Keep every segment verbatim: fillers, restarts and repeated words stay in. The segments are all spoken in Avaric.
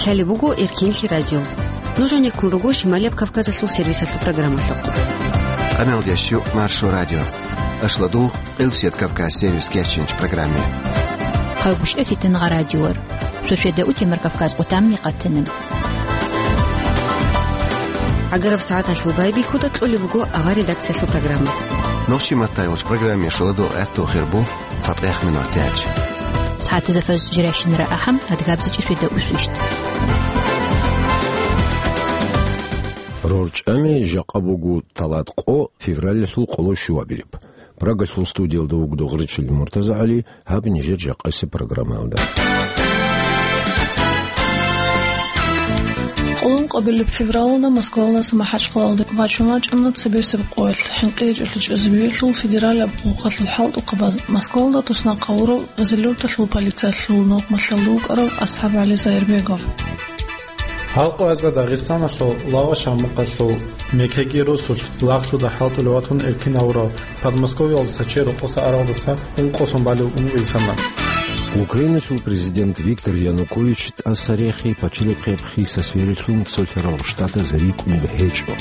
Лъалеб буго Эркенлъи радио. Нуж гьанеккун руго Шималияб Кавказалъул сервисалъул программалъухъ. Къаналда щу Маршо радио. Ашладул Къилсият Кавказ сервис кечинч программе. Хъагушев Фитнагъа радиор. Сосведа утемар Кавказ къутамни къатана. ГӀагараб сагӀаталъул байбихьуда кьолеб буго авар редакциялъул программа. Нохчи матаялъ программе шоладо этту хирбу. ЦатӀехъ минуталъ. СагӀатазда фаз жиращинара ахӀам, адгабзичӀи светда усвищ. РорчӀами жакъа буго талат къо, февралалъул къоло щуабилеб. Прагалъул студиялда вуго Дугъричил МуртазагӀали, гьаб нижер жакъасеб программаялда. Къоло ункъабилеб февралалда Москвалдаса МахӀачхъалалде вачун вачӀана цебесеб къоялъ хӀинкъи гьечӀолъи чӀезабиялъул федералияб къуллъухъалъул хӀалтӀухъабаз Москвалда туснахъ гьавурав Разилюрталъул полициялъул нухмалъалда вукӀарав АсхӀабгӀали Заирбегов. Гьал къоязда Дагъистаналъул Лавашан мукъалъул мекеги росулъ лагълъуда хӀалтӀулев ватун эркин гьавурав Подмосковьялдаса чед рокъоса аралдаса ункъо сон балев ун вилсана. Украиналъул президент Виктор Янукович тӀаса рехи пачалихъеб хиса сверилъун цолъарал штатаз рикӀкӀунеб гьечӀо.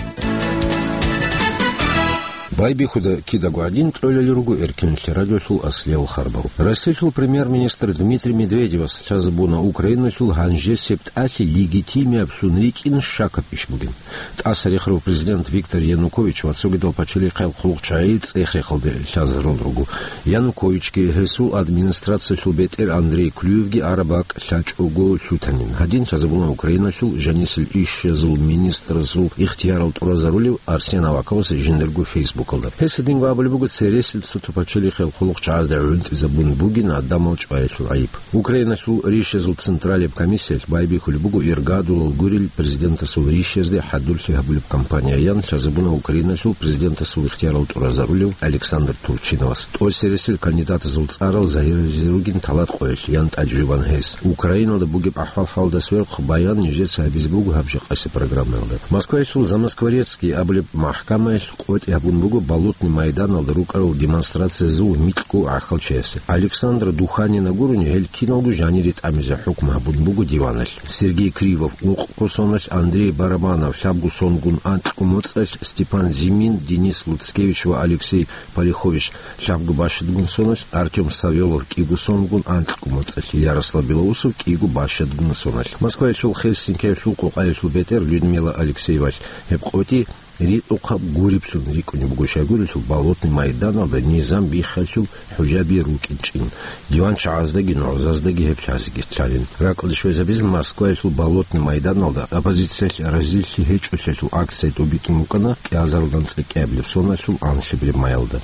Байбихьуда кидаго гӀадин кьолел руго Эркенлъи радиолъул аслиял харбал. Россиялъул премьер-министр Дмитрий Медведевас лъазабуна Украиналъул гьанжесеб тӀалъи легитимиаблъун рикӀкӀин щакаб иш бугин. ТӀаса рехарав президент Виктор Янукович ва цогидал пачалихъал хъулухъчагӀи цӀех-рехалде лъазарун руго. Януковичги гьесул администрациялъул бетӀер Андрей Клюевги араб бакӀ лъачӀого лъутанин. Гьадин лъазабуна Украиналъул жанисел ишазул министрасул ихтиярал тӀуразарулев Арсен Аваковас жиндирго фейсбукалда. Гьес гьединго абулеб буго цересел цо-цо пачалихъал хъулухъчагӀазда гӀунтӀизабун бугин гӀадамал чӀваялъул гӀайиб. Украиналъул ришазул централияб комиссиялъ байбихьулеб буго иргадулал гурел президентасул ришазде хӀадурлъи гьабулеб кампанияян лъазабуна Украиналъул президентасул ихтиярал тӀуразарулев Александр Турчиновас. ТӀоцересел кандидатазул цӀарал загьирлъизе ругин талат къоялъ ян тӀаде жубан гьес. Украиналда бугеб ахӀвал-хӀалалда сверухъ баян нижеца гьабизе буго гьаб жакъасеб программаялда. Москваялъул Замоскворецкий абулеб махӀкамаялъ къотӀи гьабун буго Болотный майданалда рукӀарал демонстрациязул микьго гӀахьалчиясе. Александра Духанина гурони гьел киналго жанире тӀамизе хӀукму гьабун буго диваналъ. Сергей Кривов ункъго соналъ, Андрей Барабанов лъабго сонгун анкьго моцӀалъ, Степан Зимин, Денис Луцкевич ва Алексей Полихович лъабго бащадгун соналъ, Артём Савелов кӀиго сонгун анкьго моцӀалъ, Ярослав Белоусов кӀиго бащадгун соналъ. Москваялъул Хельсинкиялъул къокъаялъул бетӀер Людмила Алексеевалъ гьеб къотӀи ритӀухъаб гуриблъун рикӀкӀунеб буго щайгурелъул Болотный майданалда низам биххалъул хӀужаби рукӀинчӀин, диванчагӀаздаги нугӀзаздаги гьеб лъазеги лъалин. Ракьалде щвезабизин Москваялъул Болотный майданалда оппозициялъ разилъи гьечӀолъиялъул акция тӀубитӀун букӀана кӀиазарилан цӀикӀкӀабилеб соналъул анлъабилеб майалда.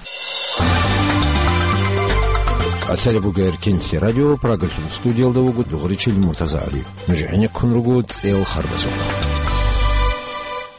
Лъалеб буго Эркенлъи радио, Прагалъул студиялда вуго Дугъричил МуртазагӀали. Нуж гӀенеккун руго цӀел харбазухъ.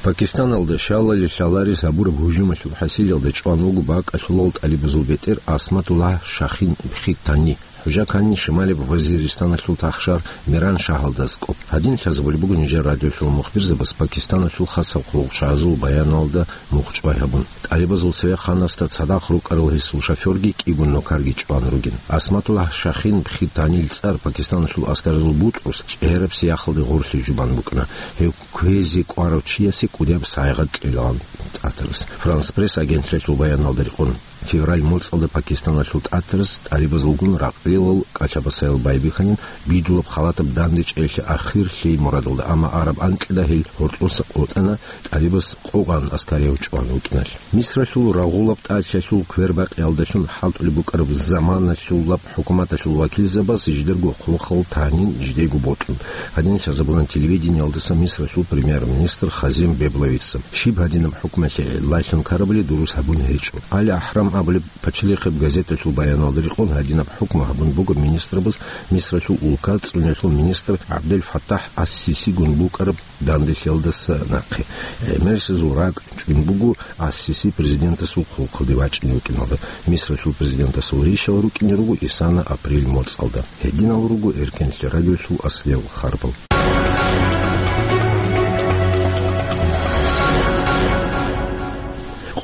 Пакистаналда щалалил лъаларес гьабураб гьужумалъул хӀасилалда чӀван вуго бакӀалъулал тӀалибазул бетӀер Асматуллагь Шахин Бхитани. ХӀужа ккани Шималияб Вазиристаналъул тахшар Мираншагьалда аскӀоб. Гьадин лъазабулеб буго нижер радиолъул мухбирзабаз Пакистаналъул хасаб хъулухъчагӀазул баяналда мухъ чӀвай гьабун. ТӀалибазул цевехъанасда цадахъ рукӀарал гьесул шофёрги кӀиго нукарги чӀван ругин. Асматуллагь Шахин Бхитанил цӀар Пакистаналъул аскаразул бутӀрус чӀегӀераб сияхалде гъорлъе жубан букӀана. Гьев кквезе кӀварав чиясе кӀудияб сайгъат кьелан ТӀатарас. Франс Пресс агентлъиялъул баяналда рекъон, февраль моцӀалда Пакистаналъул ТӀатарас тӀалибазулгун ракълилал кӀалъабасаял байбихьанин, бидулаб халатаб дандечӀеялъе ахир лъей мурадалда, амма араб анкьида гьел гьоркьоса къотӀана, тӀалибас къо гъан аскарияв чӀван вукӀиналъ. Мисралъул рагъулаб тӀалъиялъул квербакъиялдалъун хӀалтӀулеб букӀараб заманалъулаб хӀукуматалъул вакилзабаз жидерго хъулухъал танин жидего бокьун. Гьадин лъазабуна телевидениялдаса Мисралъул премьер-министр Хазим Бебловица. Щиб гьадинаб хӀукмалъе гӀеллъун ккарабали дурус гьабун гьечӀо. Али Ахрам абулеб пачалихъеб газеталъул баяналда рекъон гьадинаб хӀукму гьабун буго министрабаз Мисралъул улка цӀуниялъул министр ГӀабдел Фаттахь ас-Сисигун букӀараб данделъиялдаса нахъе. ГӀемерисезул ракӀ чӀун буго ас-Сиси президентасул хъулухъалде вачӀине вукӀиналда. Мисралъул президентасул ришал рукӀине руго исана апрель моцӀалда. Гьединал руго Эркенлъи радиолъул аслиял харбал.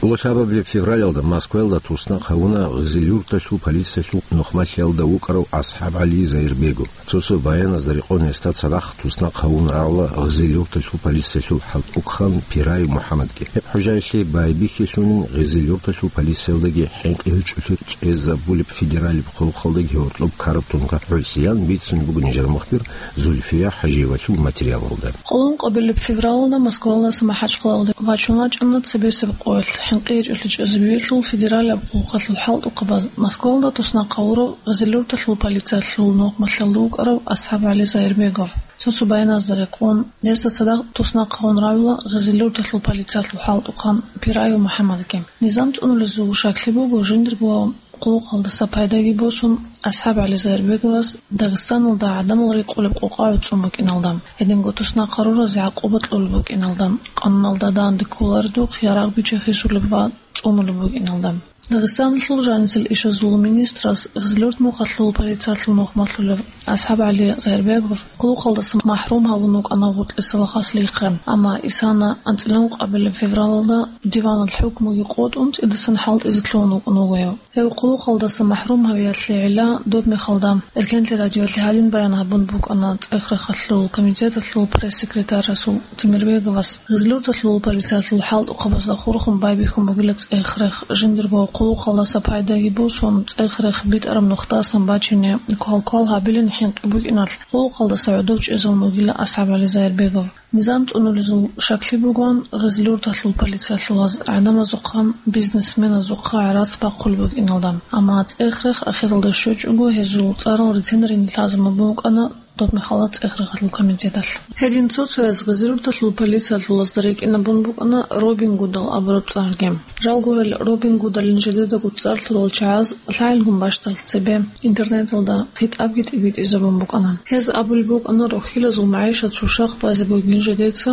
Лъабабилеб февралалда Москваялда туснахъ гьавуна Гъизил-Юрталъул полициялъул нухмалъиялда вукӀарав АсхӀаб ГӀали Заирбегов. Цо-цо баяназда рекъон гьесда цадахъ туснахъ гьавун равла Гъизил-Юрталъул полициялъул хӀалтӀухъан Пираев МухӀаммадги. Гьеб хӀужаялъе байбихьилъунин Гъизил-Юрталъул полициялдаги хӀинкъи гьечӀолъи чӀезабулеб федералияб хъулухъалдаги гьоркьоб ккараб тункаялъул гӀолохъан бицун буго нижер мухбир Зульфия ХӀажиевалъул материалалда. Къоло ункъабилеб февралалда Москваялдаса МахӀачхъалаялде вачун вачӀана цебесеб къоялъ, хӀинкъи гьечӀолъи чӀезабиялъул федералияб хъулухъалъул хӀалтӀухъабаз Москваялда туснахъ гьавурав Гъизил-Юрталъул полициялъул нухмалъиялда вукӀарав АсхӀаб ГӀали Заирбегов. Цо-цо баяназда рекъон, гьесда цадахъ туснахъ гьавун равила Гъизил-Юрталъул полициялъул хӀалтӀухъан Пираев МухӀаммадги. Низам цӀунулезул щаклъи буго, жиндирго хъулухъалдаса пайдаги босун, АсхӀаб ГӀали Заирбеговас Дагъистаналда гӀадамал рекъолеб къокъа гӀуцӀун букӀиналда, гьединго туснахъ гьаруразе гӀакъуба кьолеб букӀиналда, къануналда данде кколаредухъ ярагъ биччахисулеб ва цӀунулеб букӀиналда. Дагъистаналъул жанисел ишазул министрас Гъизлёрт мухъалъул полициялъул нухмалъулев АсхӀаб ГӀали Заирбегов хъулухъалдаса махӀрум гьавун вукӀана гъутӀи салахъаслъихъе, амма исана анцӀила ункъабилеб февралалда диванал хӀукмуги къотӀун цӀидасан хӀалтӀизе лъугьун вукӀун вуго гьев. Гьев хъулухъалдаса махӀрум гьавиялъе гӀилла доб мехалда Эркенлъи радиоялъе гьадин баян гьабун букӀана ЦӀех-рехалъул комитеталъул пресс-секретарасул Темирбеговас. Гъизлёрталъул полициялъул хӀалтӀухъабазда хурхун байбихьун бугила цӀех-рех, жиндирго хъулухъалдаса пайдаги босун, цӀех-рех битӀараб нухдасан бачине квал-квал гьабилин хӀинкъи букӀиналъ, хъулухъалдаса гӀодов чӀезавун вугила АсхӀаб ГӀали Заирбегов. Низам цӀунулезул щаклъи бугоан Гъизлёрталъул полициялъулаз гӀадамазухъа, бизнесменазухъа гӀарац бахъулеб букӀиналда, амма цӀех-рех ахиралда щвечӀого гьезул цӀарал рицинарин лъазабун букӀана доб мехалда ЦӀех-рехалъул комитеталъ. Гьедин цо-цояз Гъизлёрталъул полициялъулазда рекӀинабун букӀана Робин Гудал абураб цӀарги. Жалго гьел Робин Гудалин жидедаго цӀар лъурал чагӀаз лъагӀелгун бащдалъ цебе интернеталда хитӀабги тӀибитӀизабун букӀана. Гьез абулеб букӀана рохьилазул магӀишат щущахъ базе бугин жидеца,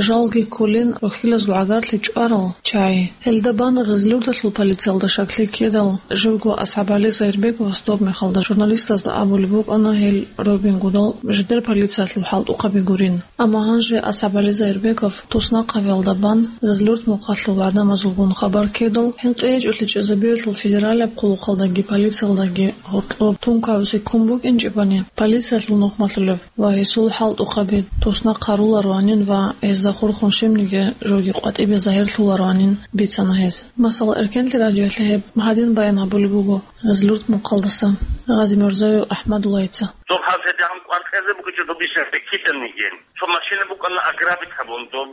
жалги кколин рохьилазул гӀагарлъи чӀварал чагӀи. Гьелда бана Гъизлёрталъул полициялда щаклъи ккедал, живго АсхӀаб ГӀали Заирбеговас доб мехалда журналистазда абулеб букӀана гьел Робин Гудал жидер полициялъул хӀалтӀухъаби гурин. Амма гьанже АсхӀаб ГӀали Заирбегов туснахъ гьавиялда бан Гъизлёрт мухъалъул гӀадамазулгун хабар ккедал, хӀинкъи гьечӀолъи чӀезабиялъул федералияб хъулухъалдаги полициялдаги гьоркьоб тункаявзе ккун букӀинчӀебани, полициялъул нухмалъулев ва гьесул хӀалтӀухъаби туснахъ гьарулароанин ва гьезда хурхун щибниги жоги къватӀибе загьирлъулароанин бицана гьез. Масала, Эркенлъи радиоялъе гьеб гьадин баян гьабулеб буго Гъизлёрт мухъалдаса Гъазимирзоев АхӀмадуллайица. Доб гьаб гьедигӀан кӀвар кьезе бугичӀо доб ишалъе киданиги. Цо машина букӀана ограбить гьабун, доб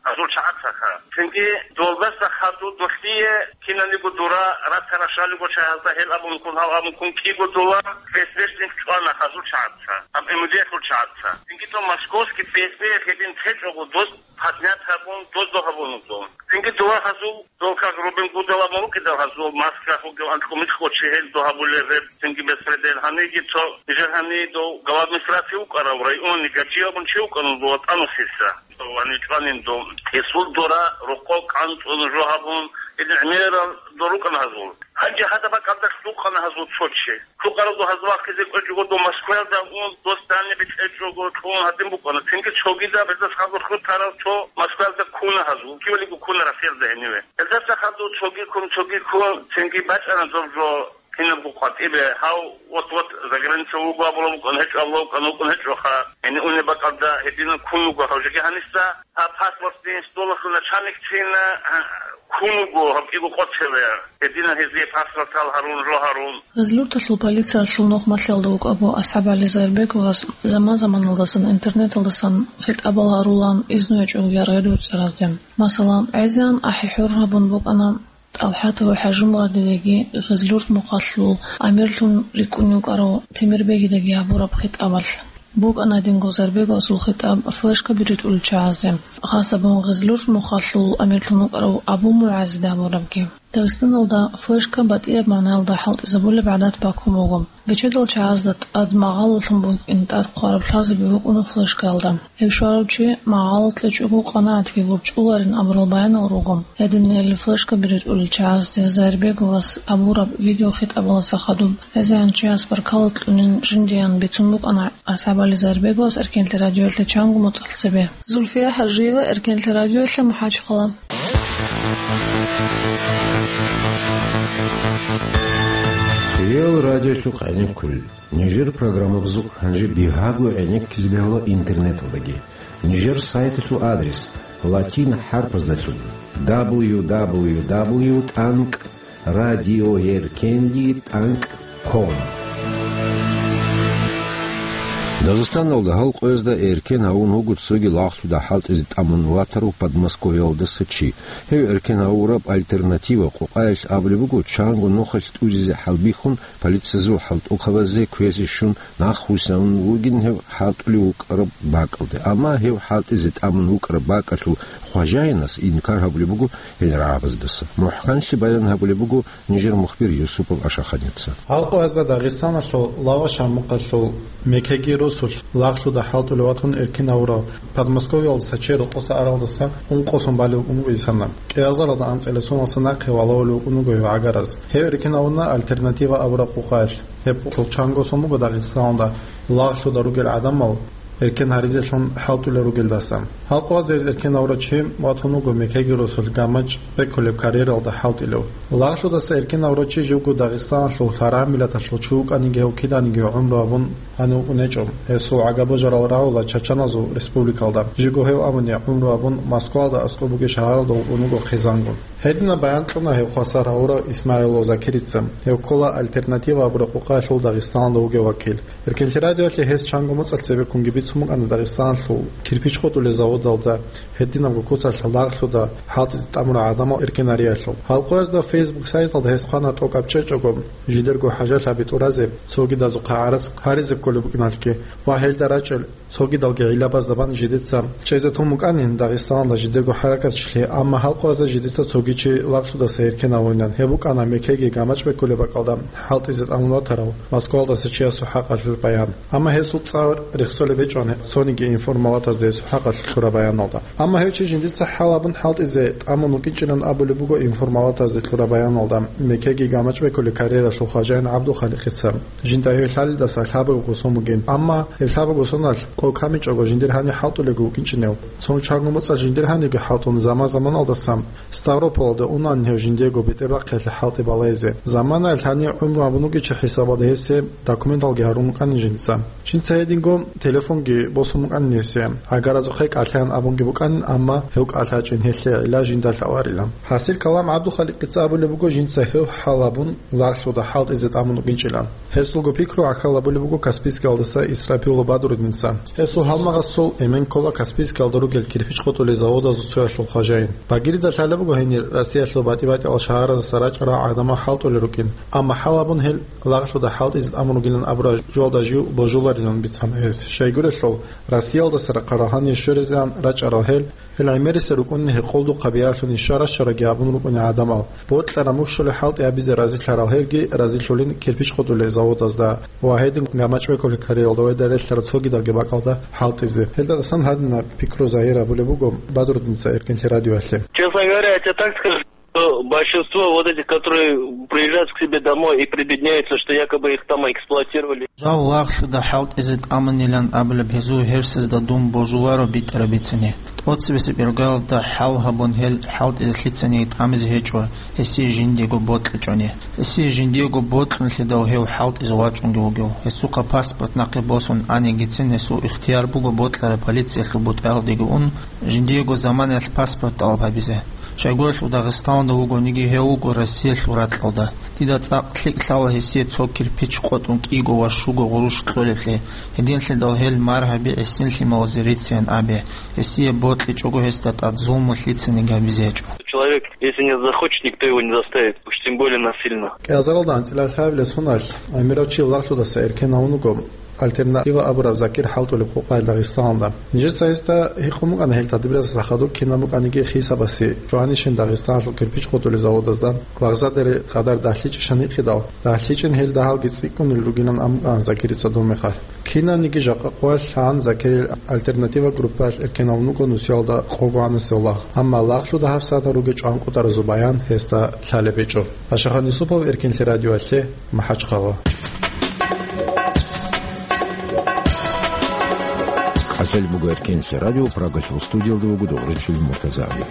гьазул чагӀацаха. Цинги долдаса хадур долъие киналниго дора рацара шалиго чагӀазда гьел абун ккун, гьав абун ккун кӀиго дола ФСБшник чӀвана гьазул чагӀаца, аб МВД-лъул чагӀаца. Цинги доб московский ФСБ гьедин течӀого дос поднять гьабун, дозда гьабун вуго. Цинги дова гьазул, дол как Робин Гудал абун вукӀидал гьазул, масках вугев анкьумикьго чи гьел дов гьабулел гьеб, цинги беспредел гьаниги цо, нижер гьани дов глава администрации вукӀарав районный Гаджи абун чи вукӀана дова тӀанусиса. Дов гьани чӀванин дов. Гьесул дора рокъов кӀанцӀун жо гьабун, гьедин гӀемерал дор рукӀана гьазул. Гьанже гьадаб бакӀалда лъукъана гьазул цо чи. Лъукъаралда гьаз вахъизе кӀвечӀого дов Москваялда ун, дос данде бицӀечӀого кьун гьадин букӀана. Цинги цогидаб гьезда хадур хутарал цо Москваялда ккуна гьазул, кивалиго ккуна Россиялда гьениве. Гьездаса хадур цоги ккун, цоги ккун, цинги бачӀана доб жо кинабго къватӀибе, гьав вот-вот заграница вуго абулеб букӀана, гьечӀо абулеб букӀана, вукӀун гьечӀоха. Гьенив унеб бакӀалда гьединан ккун вуго гьав жеги гьаниса. Гьаб паспортни столалъул начальникцина, а, ккун вуго гьаб кӀиго къоцеве, гьединан гьезие паспортал гьарун, жо гьарун. Гъизлёрталъул полициялъул нухмалъиялда вукӀаго АсхӀаб ГӀали Заирбеговас заман-заманалдасан интернеталдасан хитӀабал гьарулаан изну гьечӀого яргъи-ручӀаразде. Масала, гӀезегӀан ахӀи-хӀур гьабун букӀана ТӀалхӀатов ХӀажимурадидаги Гъизлёрт мухъалъул амирлъун рикӀкӀунев вукӀарав Темирбегидаги гьабураб хитӀабалъ. БукӀана гьединго Заирбеговасул хитӀаб флешкаби ритӀулел чагӀазде, хасабун Гъизлёрт мухъалъул амирлъун вукӀарав Абу МугӀазида гьабурабги. Дагъистаналда флешка батӀияб магӀнаялда хӀалтӀизабулеб гӀадат бакун буго. Бечедал чагӀазда тӀад магъалалъун букӀин тӀад хъвараб лъазаби букӀуна флешкаялда. Гьеб щварав чи магъалал кьечӀого къанагӀатги гурчӀуларин абурал баянал руго. Гьединал флешкаби ритӀулел чагӀазде Заирбеговас абураб видеохитӀабаласа хадуб гӀезегӀанчияс баркала кьунин жиндиян бицун букӀана АсхӀаб ГӀали Заирбеговас Эркенлъи радиоялъе чанго моцӀалъ цебе. Зульфия ХӀажиева, Эркенлъи радиоялъе, МухӀачхъала. Реал радиолъухъ гӀенеккулел. Нижер программабазухъ гьанже бигьаго гӀенеккизе бегьула интернеталдаги. Нижер сайталъул адрес латин хӀарпаздалъун: дабл ю дабл ю дабл ю тӀанкӀ радиоеркенлъи тӀанкӀ ком. Дагъистаналда гьал къоязда эркен гьавун вуго цоги лагълъуда хӀалтӀизе тӀамун ватарав Подмосковьялдаса чи. Гьев эркен гьавураб «Альтернатива» къукъаялъ абулеб буго, чанго нухалъ тӀузизе хӀалбихьун, полициязул хӀалтӀухъабазе квезе щун, нахъвуссун вугин гьев хӀалтӀулев вукӀараб бакӀалде. Амма гьев хӀалтӀизе тӀамун вукӀараб бакӀалъул хважаянас инкар гьабулеб буго гьел рагӀабаздаса. МухӀканлъи баян гьабулеб буго нижер мухбир Юсупов Ашаханица. Гьал къоязда Дагъистаналъул Лагъа-Шамукъалъул мекеги росулъ лагълъуда хӀалтӀулев ватун эркен гьавурав Подмосковьялдаса чи рокъоса аралдаса ункъо сон балев вукӀун вуго исана. КӀиазаралда анцӀила соналъа нахъе валагьулев вукӀун вуго гьев гӀагараз. Гьев эркен гьавуна «Альтернатива» абураб къукъаялъ. Гьеб къукъалъ чанго сон буго Дагъистаналда лагълъуда ругел гӀадамал эркен гьаризелъун хӀалтӀулел ругелдаса. Гьал къоязда гьез эркен гьавурав чи ватун вуго мекеги росулъ гамачӀ бекулеб карьералда хӀалтӀилев. Лагълъудаса эркен гьавурав чи живго Дагъистаналъул лъарагӀмилаталъул чи вукӀаниги гьев киданиги гӀумру гьабун гьанив вукӀун гьечӀо. Гьесул гӀагаб-божарал рагӀула Чачаназул республикалда. Живго гьев абуни гӀумру гьабун Москвалда аскӀоб бугеб шагьаралда вукӀун вуго хъизангун. Гьединаб баян кьуна гьев хвасар гьавурав Исмагьилов Закирица. Гьев ккола «Альтернатива» абураб къукъаялъул Дагъистаналда вугев вакил. Эркенлъи радиоялъе гьес чанго моцӀалъ цебеккунги бицун букӀана Дагъистаналъул кирпич къотӀулел заводалда гьединабго куцалъ лагълъуда хӀалтӀизе тӀамурал гӀадамал эркен гьариялъул. Гьал къоязда Facebook сайталда гьес хъвана тӀокӀаб чӀечӀого жидерго хӀажалъаби тӀуразе, цогидазухъа гӀарац гьаризе кколеб букӀиналъги ва гьелда рачӀел цогидалги гӀиллабазда бан жидеца чӀезе тун букӀанин Дагъистаналда жидерго хӀаракатчилъи, амма гьал къоязда жидеца цоги чи лагълъудаса эркен гьавунилан. Гьеб букӀана мекеги гамачӀ бекулеб бакӀалда хӀалтӀизе тӀамун ватарав Москвалдаса чиясул хӀакъалъулъ баян. Амма гьесул цӀар рехсолеб гьечӀо цониги информалатазда гьесул хӀакъалъулъ лъураб баяналда. Амма гьев чи жиндица хӀал гьабун хӀалтӀизе тӀамун вукӀинчӀилан абулеб буго информалатазда лъураб баяналда, мекеги гамачӀ бекулеб карьералъул хважаин ГӀабдулхаликъица. Жинда гьев лъалидаса лъабабго сон бугин. Амма гьеб лъабабго соналъ къо камичӀого жиндир гьанив хӀалтӀулего вукӀинчӀинев. Цо чанго моцӀалъ жиндир гьанивги хӀалтӀун заман-заманалдаса Ставрополалде унан гьев жиндиего бетӀербахъиялъе хӀалтӀи балайзе. Заманаялъ гьанив гӀумру гьабун вугев чи хӀисабалда гьесие документалги гьарун букӀанин жинца. Жинца гьединго телефонги босун букӀанин гьесие. ГӀагаразухъе кӀалъаян абунги букӀанин, амма гьев кӀалъачӀин гьелъие гӀилла жинда лъаларилан. ХӀасил калам ГӀабдулхаликъица абулеб буго жинца гьев хӀал гьабун лагълъуда хӀалтӀизе тӀамун вукӀинчӀилан. Гьесулго пикру гӀахьал гьабулеб буго Каспийскалдаса Исрапилов Бадрудинца. Гьесул гьалмагъасул эмен ккола Каспийскалда ругел кирпич къотӀулел заводазул цоялъул хважаин. Багирида лъалеб буго гьенир Россиялъул батӀи-батӀиял шагьаразаса рачӀарал гӀадамал хӀалтӀулел рукӀин, амма хӀал гьабун гьел лагълъуда хӀалтӀизе тӀамун ругилан абураб жоялда жив божуларилан бицана гьес. Щайгурелъул, Россиялдаса рахъарал гьанир щверизегӀан рачӀарал гьел, гьел гӀемерисел рукӀунни гьекъолдухъа биялъун ишара-шараги гьабун рукӀуни гӀадамал, бокьараб мухь щолеб хӀалтӀи гьабизе разилъарал гьелги разилъулин кирпич къотӀулел заводазда ва гьедин гамачӀ бекулеб карьералда ва гьелда релълъарал цогидалги бакӀалда хӀалтӀизе. Гьелдасан гьадинаб пикру загьир гьабулеб буго Бадрудинца Эркенлъи радиоялъе. Честно говоря, я тебе так скажу, что большинство вот этих, которые приезжают к себе домой и прибедняются, что якобы их там эксплуатировали. Жал лагълъуда хӀалтӀизе тӀамунилан абулеб гьезул гьерсазда дун божуларо битӀараб бицине. ТӀоцебесеб иргалда хӀал гьабун гьел хӀалтӀизе лъицаниги тӀамизе гьечӀо, гьесие жиндиего бокьичӀони. Гьесие жиндиего бокьунлъидал гьев хӀалтӀизе вачӀунги вугев. Гьесухъа паспорт нахъе босун анигицин гьесул ихтияр буго бокьараб полициялъул бутӀаялдеги ун, жиндиего заманаялъ паспорт тӀалаб гьабизе. Щайгурелъул Дагъистаналда вугониги гьев вуго Россиялъул ракьалда. Дида цӀакъ лъикӀ лъала гьесие цо кирпич къотӀун кӀиго ва щуго гъурущ кьолеблъи, гьединлъидал гьел маргьаби гӀисин лъималазе рицеян абе, гьесие бокьичӀого гьесда тӀад зулму лъицаниги гьабизе гьечӀо. Человек, если не захочет, никто его не заставит, уж тем более насильно. КӀиазаралда анцӀила лъабилеб соналъ гӀемерав чи лагълъудаса эркен гьавун вуго «Альтернатива» абураб закир хӀалтӀулеб къукъаялъ Дагъистаналда. Нижеца гьесда гьикъун букӀана гьел тадбирасда хадуб кинаб букӀаниги хисабасе, цоанищин Дагъистаналъул кирпич къотӀулел заводазда лагъзадере къадар дагьлъичӀищан гьикъидал, дагьлъичӀин гьел дагьалги цӀикӀкӀунел ругилан абун букӀана Закирица доб мехалъ. Кинабниги жакъа къоялъ лъан Закирил «Альтернатива» группаялъ эркен гьавун вуго нусиялда къого гӀанасеб лагъ. Амма лагълъуда гьабсагӀатал ругел чӀванкъотӀаразул баян гьесда лъалеб гьечӀо. Ашахан Юсупов, Эркенлъи радиоялъе, МахӀачхъала. КӀалъалеб буго Эркенлъи радио, Прагалъул студиялда вуго Догъричил МуртазагӀли.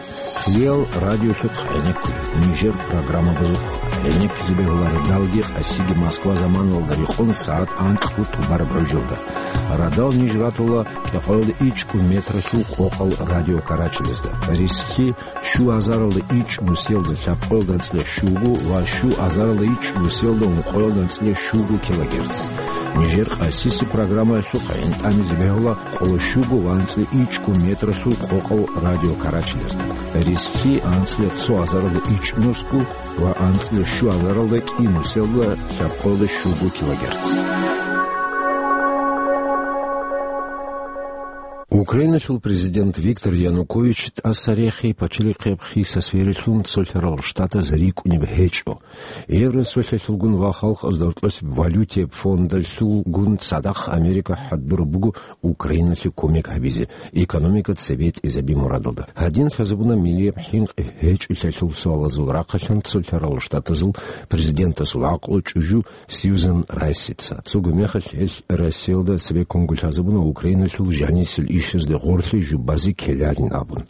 Кьиял радиолъухъ гӀенеккуй, нижер программабазухъ ГӀенеккизе бегьула радалги къасиги Москва заманалда рекъон сагӀат анкьго тӀубараб гӀужилда. Радал ниж ратула кӀикъоялда ичӀго метралъул къокъал радиокарачалазда. Рисхлъи щу азаралда ичӀ нусиялда лъабкъоялда анцӀила щуго ва щу азаралда ичӀ нусиялда ункъоялда анцӀила щуго килогерц. Нижер къасиси программаялъухъ гӀинтӀамизе бегьула къоло щуго ва анцӀила ичӀго метралъул къокъал радиокарачалазда. Рисхлъи анцӀила цо азаралда ичӀ нусго ва анцӀила щу азаралда кӀи нусиялда лъабкъоялда щуго килогерц. Украиналъул президент Виктор Янукович тӀаса рехи пачалихъеб хиса сверилъун цолъарал штатаз рикӀкӀунеб гьечӀо. Евросолъалъулгун ва Халкъазда гьоркьосеб валютияб фондалъулгун цадахъ Америка хӀадураб буго Украиналъе кумек гьабизе, экономика цебетӀезаби мурадалда. Гьадин лъазабуна миллияб хӀинкъи гьечӀолъиялъул суалазул рахъалъан цолъарал штатазул президентасул гӀакълу чӀужу Сьюзан Райсица. Цого мехалъ гьелъ Россиялда цебе ккунго лъазабуна Украиналъул жанисел ишазде гъорлъи жубазе ккеларин абун.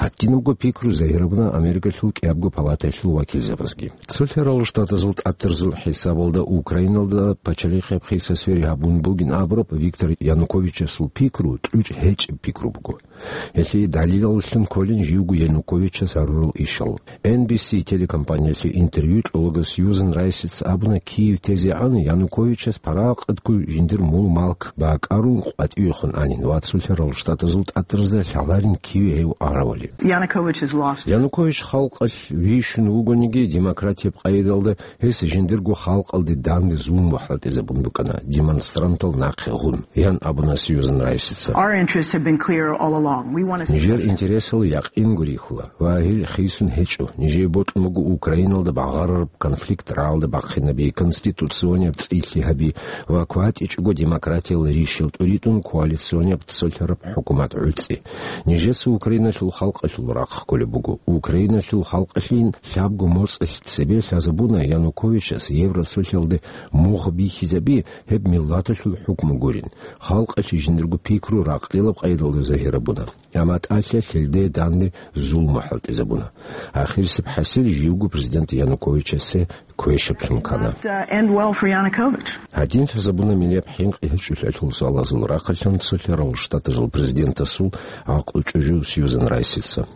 Гьадинабго пикру загьирабуна Америкалъул кӀиябго палатаялъул вакилзабазги. Цолъарал штатазул тӀатарзул хӀисабалда Украиналда пачалихъеб хиса свери гьабун бугин абураб Виктор Януковичасул пикру кьучӀ гьечӀеб пикру буго. Гьелъие далилаллъун кколин живго Януковичас гьарурал ишал. Эн Би Си телекомпаниялъе интервью кьолаго Сьюзан Райсица абуна, Киев тезе гӀан Януковичас парагъатго жиндир мул-малк бакӀарун къватӀивехун анин ва цолъарал штатазул тӀатразда лъаларин киве гьев аравали. Yanukovych has lost. Янукович халкъалъ вищун вугониги, демократияб къайдалда гьес жиндирго халкъалде данде зулму хӀалтӀизабун букӀана, демонстрантал нахъе гъун, ян абуна Сьюзан Райсица. Our interests have been clear all along. We want to see Нижер интересал якъинго рихьула ва гьел хисун гьечӀо. Нижее бокьун буго Украиналда багъарараб конфликт рагӀалда бахъинаби, конституционияб цӀилъи гьаби ва кватӀичӀого демократиял ришил тӀуритӀун коалиционияб цолъараб хӀукумат гӀуцӀи. Нижеца Украиналъул халкъалъул рахъ кколеб буго. Украиналъул халкъалъин лъабго моцӀалъ цебе лъазабуна Януковичас Евросолъалде мугъ бихьизаби, гьеб миллаталъул хӀукму гурин. Халкъалъе жиндирго пикру ракълилаб къайдалда загьирабуна. Амма тӀалъа лъелде данде зулму хӀалтӀизабуна. Ахирисеб хӀасил живго президент Януковичасе квешаблъун ккана. Not, uh, end well for Yanukovych. Гьадин лъазабуна миллияб хӀинкъи гьечӀолъиялъул суалазул рахъалъан цолъарал штатазул президентасул гӀакълу чӀужу Сьюзан Райсица.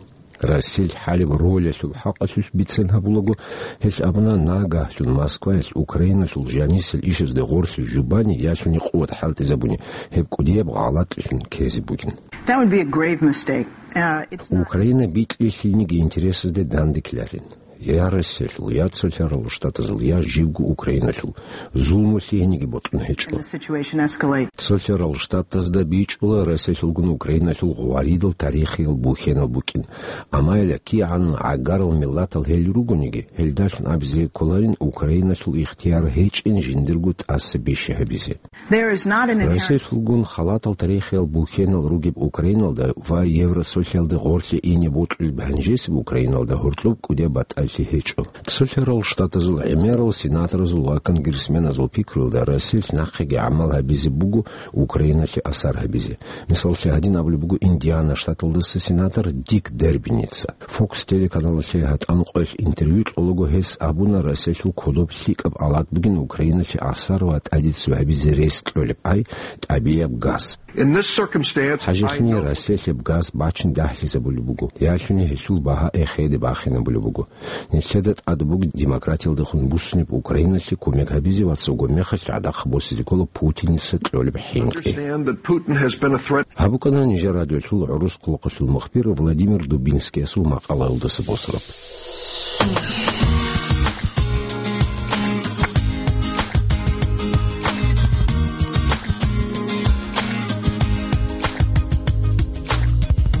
Россиялъ хӀалеб ролялъул хӀакъалъулъ бицен гьабулаго, гьелъ абуна, нагагьлъун Москваялъ Украиналъул жанисел ишазде гъорлъи жубани ялъуни къуват хӀалтӀизабуни гьеб кӀудияб гъалатӀлъун ккезе бугин. That would be a grave mistake. Uh, it's not Украина бикьилъилниги интересазде данде ккеларин. Я Россиялъул, я цолъарал штатазул, я живго Украиналъул зулму лъигьениги бокьун гьечӀо. And the situation escalate. Цолъарал штатазда бичӀчӀула Россиялъулгун Украиналъул гъваридал тарихиял бухьенал букӀин. Амма гьеле кигӀан гӀагарал миллатал гьел ругониги, гьелдалъун абизе кколарин Украиналъул ихтияр гьечӀин жиндирго тӀаса бищи гьабизе. There is not an inherent Россиялъулгун халатал тарихиял бухьенал ругеб Украиналда ва Евросолъалде гъорлъе ине бокьулеб гьанжесеб Украиналда гьоркьоб кӀудияб батӀалъи гьечӀо. Цолъарал штатазул гӀемерал сенаторазул ва конгрессменазул пикруялда Россиялъ нахъеги гӀамал гьабизе буго Украиналъе асар гьабизе. Мисаллъи, гьадин абулеб буго Индиана штаталдаса сенатор Дик Дербиница. Fox телеканалалъе гьатӀан къоялъ интервью кьолаго гьес абуна, Россиялъул кодоб лъикӀаб алат бугин Украиналъе асар ва тӀадицу гьабизе рес кьолеб ай тӀабияб газ. In this circumstance, I ХӀажалъуни don't Россиялъ гьеб газ бачин дагьлъизабулеб буго, ялъуни гьелъул багьа эхеде бахинабулеб буго. Нилъеда тӀад буго демократиялдехун буссунеб Украиналъе кумек гьабизе ва цого мехалъ гӀадахъ босизе ккола Путиница кьолеб хӀинкъи. Understand that Putin has been a threat. Гьаб букӀана нижер радиолъул гӀурус хъулухъалъул мухбир Владимир Дубинскиясул макъалаялдаса босураб.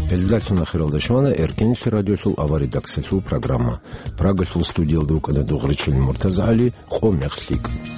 Гьелдалъун ахиралда щвана Эркенлъи радиолъул авария редакциялъул программа. Прагалъул студиялда вукӀана Дугъричил МуртазагӀали, къо мех лъикӀ.